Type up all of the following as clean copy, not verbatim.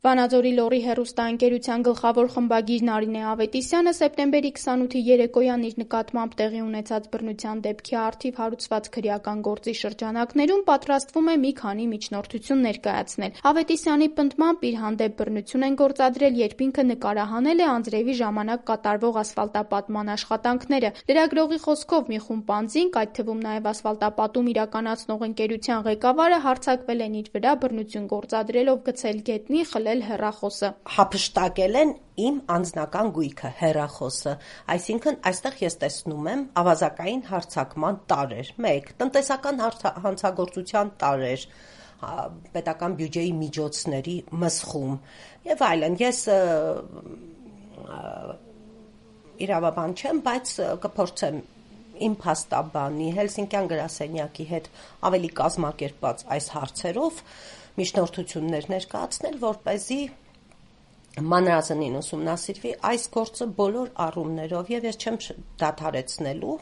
Վանաձորի լոռի հեռուստաընկերության գլխավոր խմբագիր Նարինե Ավետիսյանը սեպտեմբերի 28-ի երեկոյան իր նկատմամբ տեղի ունեցած բռնության դեպքի առթիվ հարուցված քրեական գործի շրջանակներում պատրաստվում է մի քանի միջնորդություն ներկայացնել։ Ավետիսյանի պնդմամբ իր հանդեպ բռնություն են գործադրել, երբ ինքը նկարահանել է անձրևի ժամանակ կատարվող ասֆալտապատման աշխատանքները։ Լրագրողի խոսքով մի խումբ անձինք, այդ թվում նաև ասֆալտապատում իրականացնող ընկերության ղեկավարը հարձակվել են իր վրա բռնություն գործադրելով գցել գետնի, խլել հեռախոսը։ Հափշտակել են իմ անձնական գույքը, հեռախոսը, այսինքն այստեղ ես տեսնում եմ ավազակային հարձակման տարրեր, 1. Տնտեսական հանցագործության տարրեր, պետական բյուջեի միջոցների մսխում եւ այլն։ Ես իրավաբան չեմ, բայց կփորձեմ իմ փաստաբանի Հելսինկյան գրասենյակի հետ ավելի կազմակերպված այս հարցերով միջնորդություններ ներկայացնել, որպեսզի մանրազնին ուսումնասիրվի այս գործը բոլոր առումներով եւ ես չեմ դադարեցնելու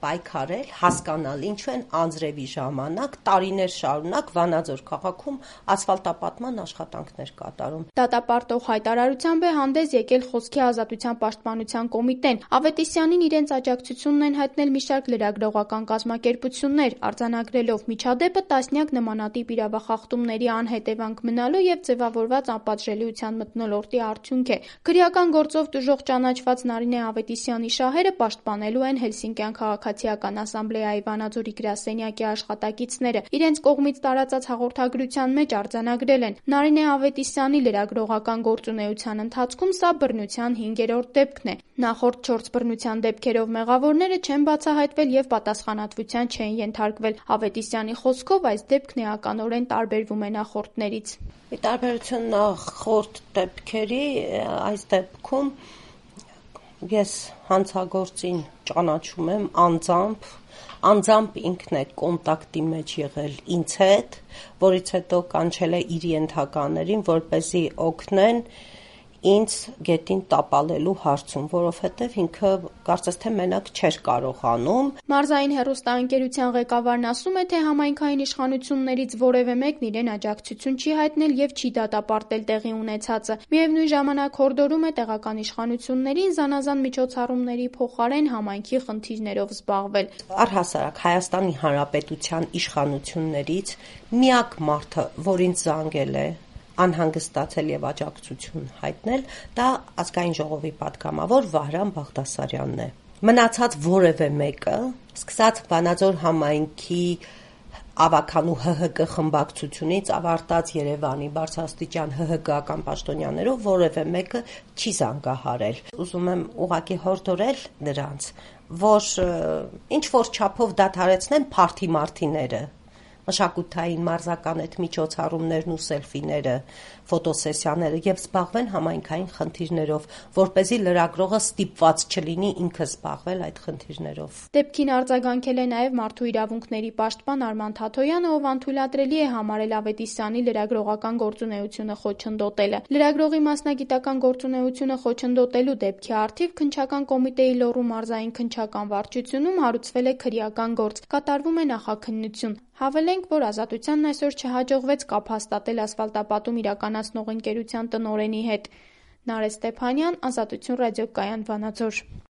պայքարել, հասկանալ ինչու են անձրևի ժամանակ տարիներ շարունակ Վանաձոր քաղաքում ասֆալտապատման աշխատանքներ կատարում։ Դատապարտող հայտարարությամբ է հանդես եկել Խոսքի ազատության պաշտպանության կոմիտեն։ Ավետիսյանին իրենց աջակցությունն են հայտնել մի շարք լրագրողական կազմակերպություններ, արձանագրելով միջադեպը տասնյակ նմանատիպ իրավախախտումների անհետևանք մնալու եւ ձևավորված անպատժելիության մթնոլորտի արդյունք է։ Քրեական գործով տուժող ճանաչված Նարինե Ավետիսյանի շահերը պաշտպանելու են Հելսինկյան քաղաքացիական ասամբլեայի Վանաձորի գրասենյակի աշխատակիցները։ Իրենց կողմից տարածած հաղորդագրության մեջ արձանագրել են. Նարինե Ավետիսյանի լրագրողական գործունեության ընթացքում սա բռնության 5-րդ դեպքն է։ Նախորդ 4 բռնության դեպքերով մեղավորները չեն բացահայտվել եւ պատասխանատվության չեն ենթարկվել։ Ավետիսյանի խոսքով այս դեպքն էականորեն տարբերվում է նախորդներից։ Ի տարբերություն նախորդ դեպքերի, այս դեպքում ես հանցագործին ճանաչում եմ անձամբ ինքն է կոնտակտի մեջ եղել ինձ հետ, որից հետո կանչել է իր ենթականերին, որպեսզի օգնեն ինձ գետին տապալելու հարցում, որովհետև ինքը կարծես թե մենակ չէր կարողանում։ Մարզային հեռուստաընկերության ղեկավարն ասում է, թե համայնքային իշխանություններից որևէ մեկն իրեն աջակցություն չի հայտնել եւ չի դատապարտել տեղի ունեցածը։ Միևնույն ժամանակ հորդորում է տեղական իշխանություններին զանազան միջոցառումների փոխարեն համայնքի խնդիրներով զբաղվել։ Առհասարակ Հայաստանի Հանրապետության իշխանություններից միակ մարդը, որին զանգել է անհանգստացել եւ աջակցություն հայտնել, դա ազգային ժողովի պատգամավոր Վահրամ Բաղդասարյանն է։ Մնացած որևէ մեկը, սկսած Վանաձոր համայնքի ավականու ՀՀԿ խմբակցությունից ավարտած Երևանի բարձրաստիճան ՀՀԿ-ական պաշտոնյաներով որևէ մեկը չի զանգահարել։ Ուզում եմ ուղղակի հորդորել նրանց, որ ինչ որ չափով դադարեցնեն փարթի-մարտիները, մշակութային մարզական այդ միջոցառումներն ու սելֆիները, ֆոտոսեսիաները եւ զբաղվեն համայնքային խնդիրներով, որպեսզի լրագրողը ստիպված չլինի ինքը զբաղվել այդ խնդիրներով։ Դեպքին արձագանքել է նաեւ մարդու իրավունքների պաշտպան Արման Թաթոյանը, ով անթույլատրելի է համարել Ավետիսյանի լրագրողական գործունեությունը խոչընդոտելը։ Լրագրողի մասնագիտական գործունեությունը խոչընդոտելու դեպքի առթիվ քննչական կոմիտեի լոռու մարզային քննչական վարչությունում հարուցվել է քրեական գործ, կատարվում է նախաքննություն։ Հավելենք, որ Ազատությանն այսօր չհաջողվեց կապ հաստատել ասֆալտապատում իրականացնող ընկերության տնօրենի հետ։ Նարէ Ստեփանյան, Ազատություն ռադիոկայան, Վանաձոր։